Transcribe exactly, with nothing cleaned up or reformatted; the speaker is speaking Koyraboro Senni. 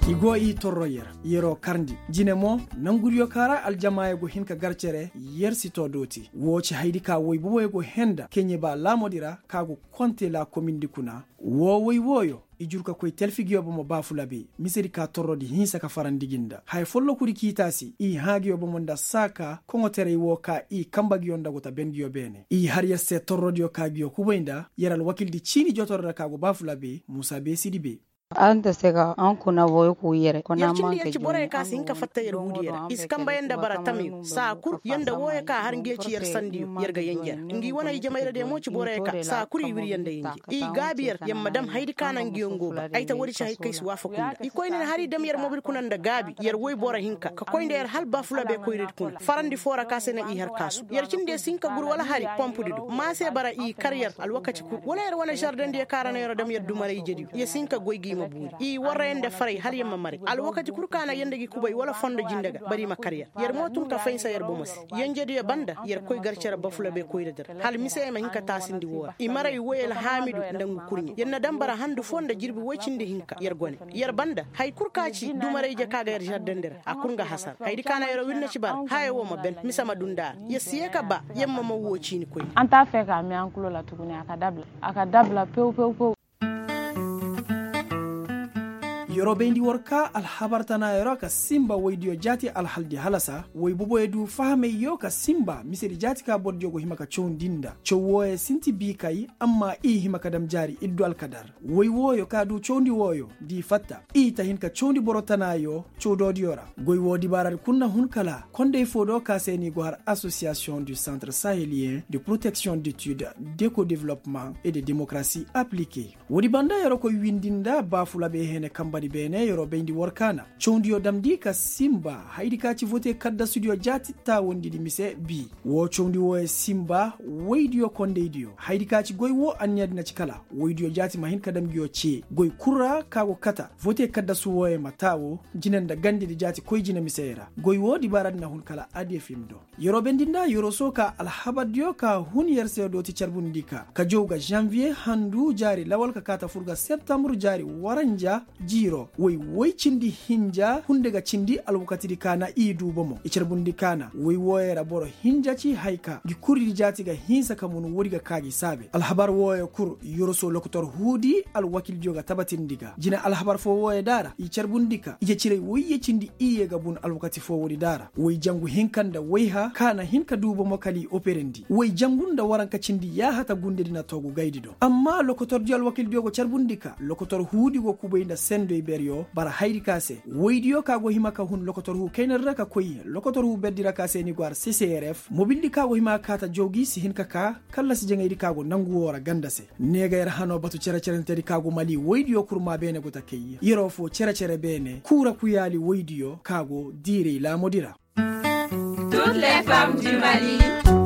I go i torro yer yeroo karndi jine mo. Nangudiyo ka ra aljamaayo go hin ka gar cere yer si too dooti woo ci haydi ka woy boboyo go henda keɲe ba laamodi ra ka go konte laakomindi kuna. Woo woy wooyo i jur ka koy telfi ngiyo bomo baafulabe misedi ka torrodi hinsa ka farandi gi nda haya follokudi k'i taasi i hãa ngiyo bomo nda saaka koŋoterey woo ka i kamba ngiyo nda go ta ben ngiyo beene i har yer se torrodiyo ka ngiyo kubay nda yer alwakildi ciini jotoroo ra ka go baafulabe muusa beesidi be. Yer cindi yer ci borey ka si hin ka fatta yer huudiyo ra i si kamba yer nda bara tamyo saa kul yer nda wooyo ka har ngiyo ci yer sandiyo yer ga yenje ra ngi wane ay jamayradiyo mo ci borey ka saa kul i wir yer nda yenje i gaabi yer yer ma dam hayadi ka na ngiyo ngoo ba ay ta woodi ci hay kay si waafaku nda i koyna ni har i dam yer mobil kuna nda gaabi yer woy boro hinka ka koy nda yer hal baafulabe koyradi kuna farandi foo ra ka se na i har kaasu yer cindi yer si hin ka gur wala hari pompudi do maa se bara i kar yer alwakati kul wala yer wane žardeŋdiyo ka ra na yer dam yer dumaray ijediyo yer si hin ka goy gi i ma buuri i warra yer nda faray hala yer ma maray alwakati kul ka na yer nda gi kubay wala fondo jinde ga bara i ma kar yer yer mo tun ka fahinsa yer bomo se yenjediyo banda yer koy gar cere bafulabe koyradi ra hala mise yer ma hin ka taasindi woo ra i maray woy alhaamidu nda ngu kurɲe yer na dam bara handu foo nda jirbi woy cindi hinka yer gone yer banda hay kul ka ci dumaray ije ka ga yer žardeŋdi ra a kul nga hasara hayadi ka na yer wirne ci bara haya woo ma ben mise ma dunda ra yer si yee ka ba yer ma man woo ciini koy. An ta fee ka mee an kulo la tuguni a ka dabla a ka dabla pew pew pew. Yeroo bayndi war ka alhabar tanaayoo ra ka sinba woydiyo jaati alhaldi halasa woy boboyo du fahamey yoo ka sinba misedi jaati ka bordiyo go hima ka cawndi nda caw wooyo sinti biikay amma i hima ka dam jaari iddu alkadar woy wooyo ka du cawndi wooyo da i fatta i ta hin ka cawndi boro tanaayoo caw doodiyo ra goy woo dibaaradi kul na hun kala konday foo do ka se ni go har asosiyasiyoŋ du santre saheliyen de proteksiyoŋ detude d'eco developement et de demokarasi aplike. Woodi banda yeroo koy windi nda baafulabe hene kambadi beene yeroo bayndi war ka na cawndiyo damndi ka sinba hayadi ka ci vote kaddasudiyo jaati taawandidi mise bii woo cawndi wooyo sinba woydiyo kondaydiyo hayadi ka ci goy woo anniyadi na ci kala woydiyo jaati ma hin ka dam ngiyo cee goy kul ra ka go kata vote kaddasu wooyo ma taawo jine nda gandedi jaati koy jine misey ra goy woo dibaaradi na hun kala adiyefim do. Yeroo bendi nda yeroo soo ka alhabardiyo ka hun yer se dooti carbundi ka ka jow ga žanviye handu jaari lawal ka kaa ta fur ga septambur jaari waranja jiiroo woy woy cindi hinja hunde ga cindi alwakatidi ka na i duu bomo i carbundi ka na woy wooyo ra boro hinja ci hay ka ngi kuridi jaati ga hinsa ka mun woodi ga kaa gi saabe alhabar wooyo kul yoroso lokotor huudi alwakildiyo ga tabatindi ga jine alhabar foo wooyo da ra i carbundi ka ije ciray woyye cindi iyye ga bun alwakati foo woodi da ra woy jangu hinka nda wayha ka na hin ka duu bomo kala i operendi woy jangu nda waranka cindi yaahata gundedi na toogu gaydi do amma lokotordiyo alwakildiyo go carbundi ka lokotor huudi go kubay nda sendoy beryo bara hayadi ka se woydiyo ka go hima ka hun lokotor huu kaynadi ra ka koy lokotor huu berdi ra ka se ni go har ccrf mobildi ka go hima ka kaa ta jawgi si hin ka kaa kallasi jaŋaydi ka go nangu woo ra ganda se ne ga yer hanoo batu cere-cerentedi ka go mali woydiyo kurmaa beene go ta kay yeroo foo cere-cere beene kuura kuyaali woydiyo ka go diiray laamudi ra. Toutes les femmes du mali.